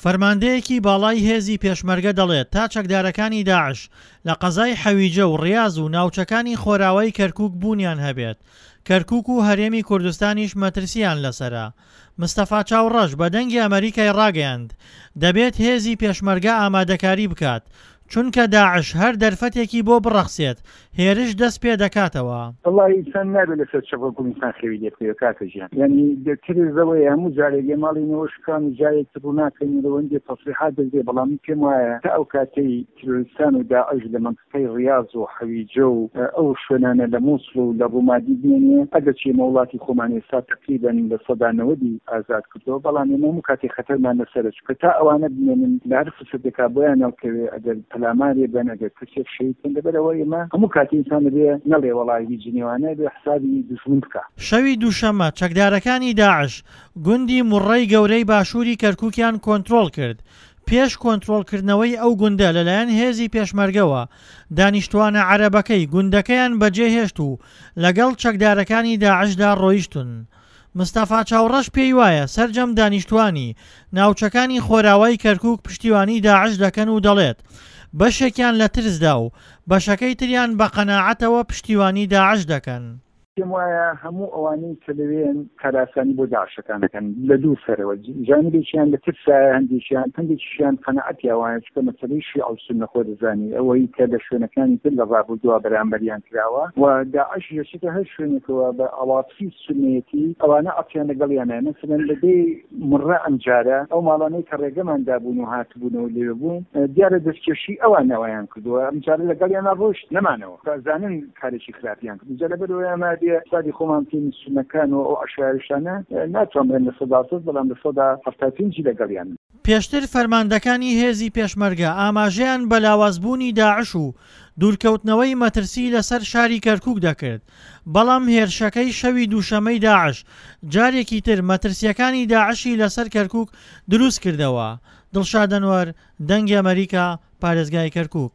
فەرماندەیەکی باڵای هێزی پێشمەرگە دەڵێت تا چەکدارەکانی داعش لە قەزای حەویجە و ڕیاز و ناوچەکانی خۆراوای کەرکوک بوونیان هەبێت، کەرکوک و هەرێمی کوردستانیش مەترسییان لەسەرە. مستەفا چاوڕەش بە دەنگی ئەمەریکای ڕاگەیاند، دەبێت هێزی پێشمەرگە ئامادەکاری بکات، چونکە داعش هەر دەرفەتێکی بۆ بڕەخسێت هێرش دەست پێ دەکاتەوە. وەڵاهی ئینسان نابێ لەسەر چەپۆک و ئینسان خەوی لێ بکەوێ کاکە ژیان یانی ترس لەوەیە هەموو جارێک ئێ ماڵی نەوە شکان و جارێک تر ڕووناکەین و هەندێ تەسریحات دەدرێ بەڵام من پێم وایە تا ئەو کاتەی تیرۆریستان و داعش لە مەنتیقەی ڕیاز و حەویجە و ئەو شوێنانە لە موسڵ و لە ڕومادی بمێنێ ئەگەرچی ئێمە وڵاتی خۆمان ئێستا تەقریبەن 90% ی ئازاد کردووە بەڵام ئێمە هەموو کاتێ خەتەرمان لەسەرە چونکە تا ئەوانە بمێنن لە هەر فرسەتێکا بۆیان هەڵکەوێ ئەگەر پەلامارێ بەن ئەگەر کەسێک شەهید بن لەبەر ئەوە ئێمە هەموو کاتێ ئینسان ئەبێ نەڵێ وەڵا هیچ نیوانە ئەبێ حسابی دوژمن بکا. شەوی دووشەممە چەکدارەکانی داعش گوندی موڕڕەی گەورەی باشووری کەرکووکیان کۆنترۆڵ کرد، پێش کۆنترۆڵکردنەوەی ئەو گوندە لەلایەن هێزی پێشمەرگەوە، دانیشتووانە عەرەبەکەی گوندەکەیان بەجێهێشت و لەگەڵ چەکدارەکانی داعشدا ڕۆیشتن. مستەفا چاوڕەش پێی وایە سەرجەم دانیشتووانی ناوچەکانی خۆراوای کەرکوک پشتیوانی داعش دەکەن و دەڵێت، بەشێکیان لە ترسدا و بەشەکەی تریان بە قەناعەتەوە پشتیوانی داعش دەکەن. پێم وایە هەموو ئەوانەی کە لەوێن کارئاسانی بۆ داعشەکان دەکەن لە دوو سەرەوە، جانبێکیان لە ترسایە هەندێکیان، هەندێکیشیان قەناعەتیان وایە، چونکە مەسەلەی شیعە و سوننە خۆ دەزانی ئەوەی کە لە شوێنەکانی تر لە ڕابردووە بەرامبەریان کراوە و داعش دەچێتە هەر شوێنێکەوە بە عەواتفی سوننەیەتی ئەوانە عەتفیان لەگەڵیانە مەسەلەن لە دێی مڕە ئەمجارە ئەو ماڵانەی کە ڕێگەمان دابوون و هاتبوونەوە لەوێ بوون دیارە دەستکێشی ئەوان ئەوەیان کردووە ئەمجارە لەگەڵیانا ڕۆیشت نەمانەوە ئەزانن کارێکی خراپیان کرد جا لەبەر ئەوەی ئەمە بێ حسابی خۆمان بکەین سوننەکان و ئەو عەشایەریشانە ناتوانم بڵێم 100% بەڵام 75% ی لەگەڵیانن. پێشتر فەرماندەکانی هێزی پێشمەرگە ئاماژەیان بە لاوازبوونی داعش و دوورکەوتنەوەی مەترسی لەسەر شاری کەرکوک دەکرد، بەڵام هێرشەکەی شەوی دووشەمەی داعش جارێکی تر مەترسییەکانی داعشی لەسەر کەرکوک دروستکردەوە. دڵشاد ئەنوەر، دەنگی ئەمەریکا، پارێزگای کەرکوک.